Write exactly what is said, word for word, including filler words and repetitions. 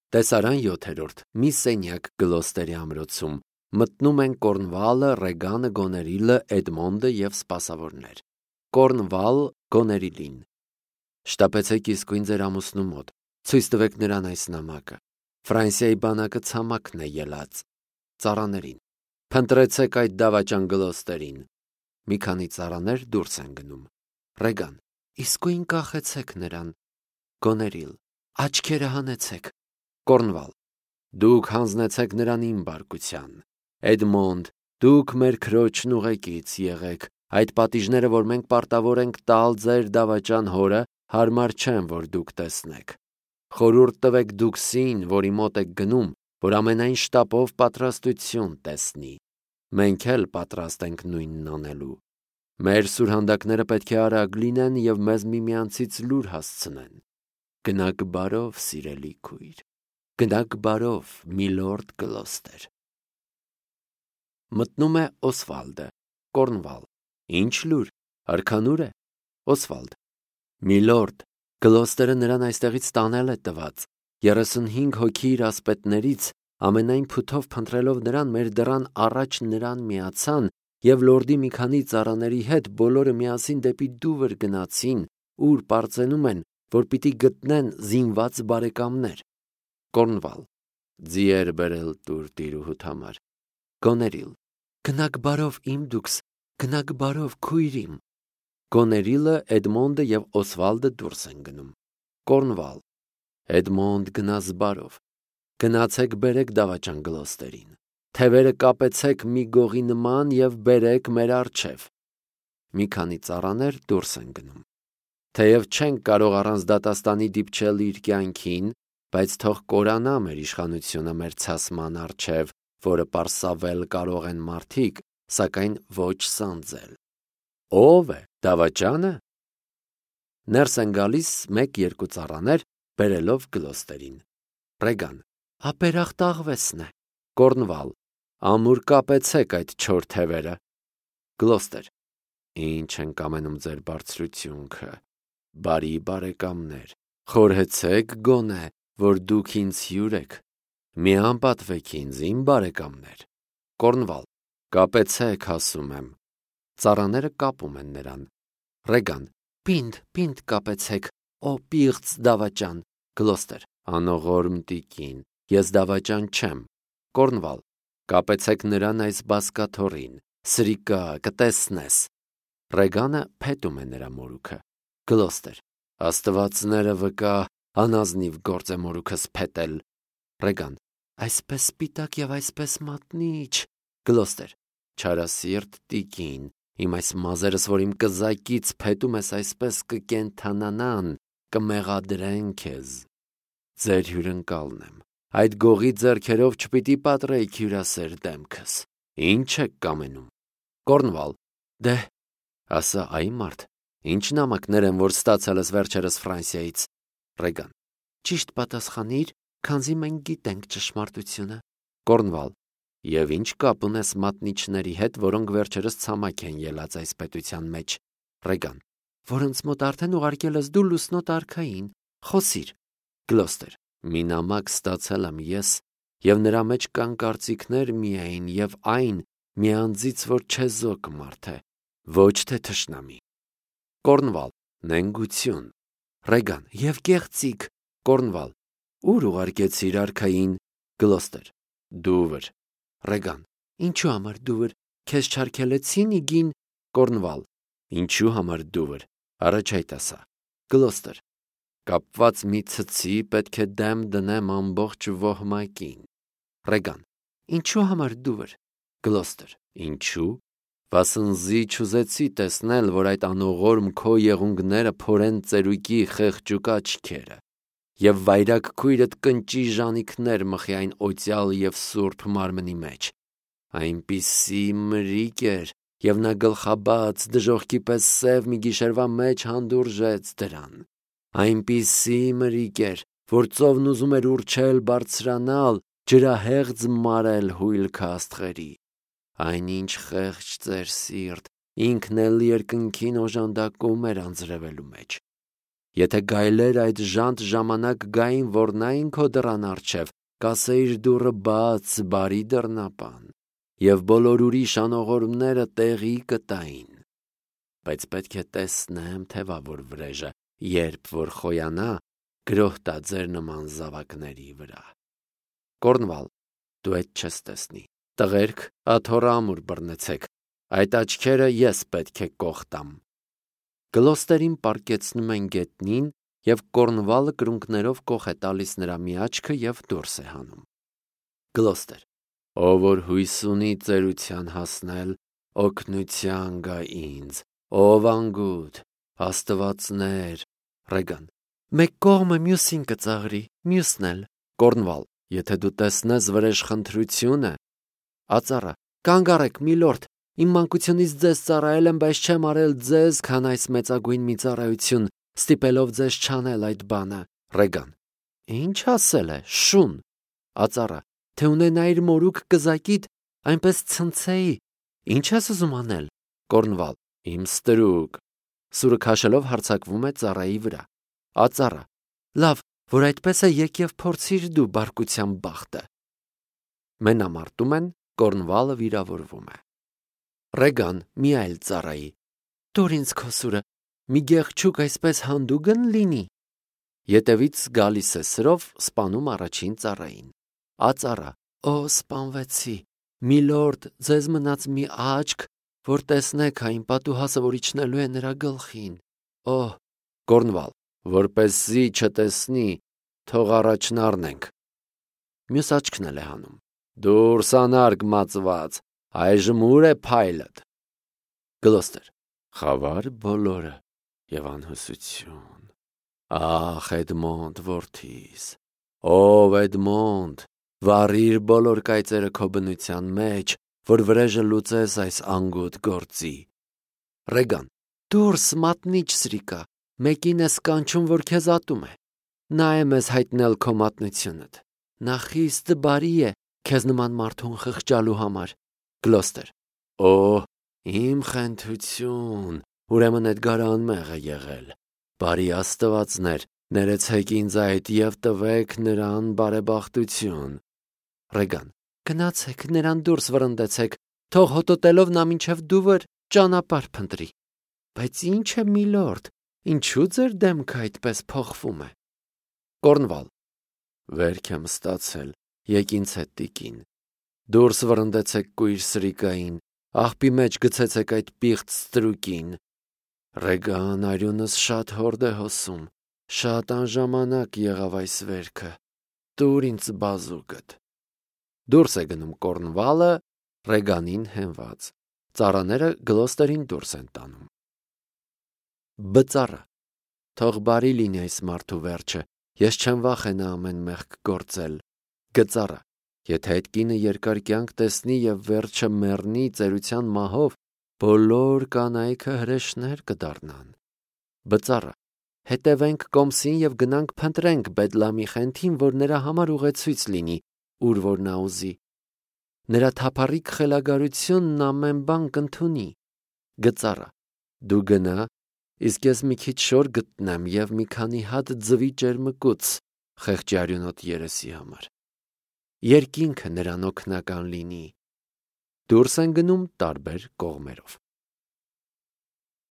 Տեսարան յոթերորդ մի սենյակ Գլոստերի ամրոցում մտնում են Կորնվալը, Ռեգանը, Գոներիլը, Էդմոնդը և սպասավորներ։ Կորնվալ Գոներիլին. շտապեցեք իսկույն ձեր ամուսնու մոտ, ցույց տվեք նրան այս նամակը։ Ֆրանսիայի բանակը ցամաքն է ելած։ Ծառաներին. փնտրեցեք այդ դավաճան Գլոստերին։ Մի քանի ծառաներ դուրս են գնում։ Ռեգան. իսկույն կախեցեք նրան։ Գոներիլ. աչքերը հանեցեք։ Կորնվալ. դուք հանձնեցեք նրան իմ բարկության։ Էդմոնդ, դուք մեր քրոջն ուղեկից եղեք։ Այդ պատիժները, որ մենք պարտավոր ենք տալ ձեր դավաճան հորը, հարմար չեն, որ դուք տեսնեք։ Խորհուրդ տվեք Դուքսին, որի մոտ եք գնում, որ ամենայն շտապով պատրաստություն տեսնի։ Մենք էլ պատրաստ ենք նույնն անելու։ Մեր սուրհանդակները պետք է արագ լինեն և մեզ միմյանցից լուր հասցնեն։ Գնաք բարով, սիրելի քույր, գնաք բարով, միլորդ Գլոստեր։ Մտնում է Օսվալդը, Կորնվալ. Ինչ լուր, արքանուր է։ Օսվալդ. միլորդ, Գլոստերը նրան այստեղից տանել է տված։ երեսունհինգ հոգի իր ասպետներից ամենայն փութով փնտրելով նրան մեր դռան առաջ նրան միացան և լորդի մի քանի ծառաների հետ բոլորը միասին դեպի Դուվր գնացին, ուր պարծենում են, որ պիտի գտնեն զինված բարեկամներ։ Կորնվալ. ձիեր բերել տուր տիրուհուդ համար։ Գոներիլ. գնաք բարով իմ դուքս, գնաք բարով քույր իմ։ Գոներիլը, Էդմոնդը և Օսվալդը դուրս են գնում։ Կորնվալ. Էդմոնդ, գնաս բարով։ Գնացեք բերեք դավաճան Գլոստերին։ Թևերը կապեցեք մի գողի նման և բերեք մեր առջև։ Մի քանի ծառաներ դուրս են գնում։ Թեև չենք կարող առանց դատաստանի դիպչել իր կյանքին, բայց թող կորանա մեր իշխանությունը մեր ցասման առջև, որը պարսավել կարող են մարդիկ, սակայն ոչ սանձել։ Ո՞վ է, դավաճա՞նը։ Ներս են գալիս մեկ-երկու ծառաներ, բերելով Գլոստերին։ Ռեգան. ապերախտ աղվեսն է։ Կորնվալ. ամուր կապեցեք այդ չոր թևերը։ Գլոստեր. ինչ ենք ամենում ձեր բարձրությունքը, բարի բարեկամներ, խորհեցեք գոնե, որ դուք ինձ հյուր եք, մի անպատվեք ինձ, իմ բարեկամներ։ Կորնվալ. կապեցեք, ասում եմ։ Ծառաները կապում են նրան։ Ռեգան. պինդ, պինդ կապեցեք, ո պիղծ դավաճան։ Գլոստեր. անողորմ տիկին, ես դավաճան չեմ։ Կորնվալ. կապեցեք նրան այս բազկաթոռին, սրիկա, կտեսնես։ Ռեգանը փետում է նրա մորուքը։ Գլոստեր. աստվածները վկա, անազնիվ գործ է մորուքս փետել։ Ռեգան. այսպես սպիտակ և այսպես մատնիչ։ Գլոստեր. չարասիրտ տիկին, իմ այս մազերս, որ իմ կզակից փետում ես, այսպես կկենդանանան, կմեղադրեն քեզ։ Ձեր հյուրընկալն եմ, այդ գողի ձեռքերով չպիտի պատռեիք հյուրասեր դեմքս։ Ինչ եք կամենում։ Կորնվալ. դե, ասա այ մարդ, ինչ նամակներ են, որ ստացել ես վերջերս Ֆրանսիայից։ Ռեգան. ճիշտ պատասխանիր, քանզի մենք գիտենք ճշմարտությունը։ Կորնվալ. և ինչ կապ ունես մատնիչների հետ, որոնք վերջերս ցամաք են ելած այս պետության մեջ։ Ռեգան. որոնց մոտ արդեն ուղարկել ես դու լուսնոտ արքային, խոսիր։ Գլոստեր. մի նամակ ստացել եմ ես, և նրա մեջ կան կարծիքներ միայն և այն մի անձից, որ չեզոք մարդ է, ոչ թե թշնամի։ Կորնվալ. նենգություն։ Ռեգան. և կեղծիք։ Կորնվալ. ուր ուղարկեցիր արքային։ Գլոստեր. Դուվր։ Ռեգան. ինչու համար Դուվր, քեզ չարգելեցին իգին։ Կորնվալ. ինչու համար Դուվր, առաջայտ ասա։ Գլոստեր. կապված մի ցցի պետք է դեմ դնեմ ամբողջ ոհմակին։ Ռեգան. ինչու համար Դուվր։ Գլոստեր. ինչու, վասնզի չուզեցի տեսնել, որ այդ անողորմ քո եղունգները փորեն ծերուկի խեղճուկ աչքերը, և վայրագ քույրդ կնճի ժանիքներ մխի այն օծյալ և սուրբ մարմնի մեջ։ Այնպիսի մրիկ էր, և նա գլխաբաց, դժոխքի պես սև մի գիշերվա մեջ հանդուրժեց դրան։ Այնպիսի մրիկ էր, որ ծովն ուզում էր ուռչել բարձրանալ, ջրահեղձ մարել հույլքը աստղերի։ Այնինչ խեղճ ծեր սիրտ, ինքն էլ երկնքին օժանդակում էր անձրևելու մեջ։ Եթե գայլեր այդ ժանտ ժամանակ գային, որ նային քո դռան առջև, կասեիր դուռը բաց, բարի դռնապան, և բոլոր ուրիշ անողորմները տեղի կտային։ Բայց պետք է տեսնեմ թևավոր վրեժը, երբ որ խոյանա, գրոհ տա ձեր նման զավակների վրա։ Կորնվալ, դու այդ չես տեսնի։ Տղերք, աթոռը ամուր բռնեցեք, այդ աչքերը ես պետք է կողտամ։ Գլոստերին պառկեցնում են գետնին, և Կորնվալը կրունկներով կող է տալիս նրա մի աչքը և դուրս է հանում։ Գլոստեր, ով որ հույս ունի ծերության հասնել, օգնության գա ինձ, ով անգութ, աստվածներ։ Ռեգան, մեկ կողմը մյուսին կծաղրի, մյուսն էլ։ Կորնվալ, եթե դու տեսնես վրեժխնդրությունը։ Ածառը, կանգ առեք, միլորդ, իմ մանկությունից ձեզ ծառայել եմ, բայց չեմ արել ձեզ, քան այս մեծագույն մի ծառայություն, ստիպելով ձեզ չանել այդ բանը։ Ռեգան, ինչ ասել է, շուն։ Ածառը, թե ունենայիր մորուք կզակիդ, այնպես ցնցեի, ինչ ես ուզում անել։ Կորնվալ, իմ ստրուկ։ Սուրը քաշելով հարձակվում է ծառայի վրա։ Ածառը, լավ, որ այդպես է, եկև փորձիր դու բարկության բախտը։ Մենամարտում են, Կորնվալը վիրավորվում է։ Ռեգան, մի այլ ծառայի, տուր ինձ քո սուրը, մի գեղչուկ այսպես հանդուգն լինի։ Ետևից գալիս է սրով, սպանում առաջին ծառային։ Ածառը, օ, սպանվեցի, միլորդ, ձեզ մնաց մի աչք, որ տեսնեք այն պատուհասը, որ իջնելու է նրա գլխին։ Օ, Կորնվալ, որպեսզի չտեսնի, թող առաջն առնենք։ Մյուս աչքն էլ է հանում։ Դուրս անարգ մածված, այժմ ուր է փայլդ։ Գլոստեր, խավար բոլորը և անհուսություն։ Ախ, Էդմոնդ որդիս, ով Էդմոնդ, վառիր բոլոր կայծերը քո բնության մեջ, որ վրեժը լուծես այս անգութ գործի։ Ռեգան, դուրս մատնիչ սրիկա, մեկին ես կանչում, որ քեզ ատում է։ Նա է մեզ հայտնել քո մատնությունդ։ Նա խիստ բարի է քեզ նման մարդուն խղճալու համար։ Գլոստեր, օ, իմ խենթություն, ուրեմն Էդգարը անմեղ է եղել։ Բարի աստվածներ, ներեցեք ինձ այդ և տվեք նրան բարեբախտություն։ Ռեգան, գնացեք, նրան դուրս վռնդեցեք, թող հոտոտելով նա մինչև դուվր ճանապարհ փնտրի։ Բայց ինչ է, միլորդ, ինչու ձեր դեմքը այդպես փոխվում է։ Կորնվալ, վերք եմ ստացել, եկ ինձ հետ տիկին։ Դուրս վռնդեցեք կույր սրիկային, աղբի մեջ գցեցեք այդ պիղծ ստրուկին։ Ռեգան, արյունս շատ հորդ է հոսում, շատ անժամանակ եղավ այս վերքը, տուր ինձ բազուկդ։ Դուրս է գնում Կորնվալը, Ռեգանին հենված, ծառաները Գլոստերին դուրս են տանում։ Բծառը, թող բարի լինի այս մարդու վերջը, ես չեմ վախենա ամեն մեղք գործել։ Գծառը, եթե այդ կինը երկար կյանք տեսնի և վերջը մեռնի ծերության մահով, բոլոր կանայքը հրեշներ կդառնան։ Բծառը, հետևենք կոմսին և գնանք փնտրենք Բեդլամի խենթին, որ նրա համար ուղեցույց լինի, ուր որ նա ուզի։ Նրա թափառիկ խելագարությունն ամեն բան կընդունի։ Գծառը, դու գնա, իսկ ես մի քիչ շոր գտնեմ և մի քանի հատ ձվի ճերմկուց խեղճի արյունոտ երեսի համար։ Երկինքը նրան օգնական լինի։ Դուրս են գնում տարբեր կողմերով։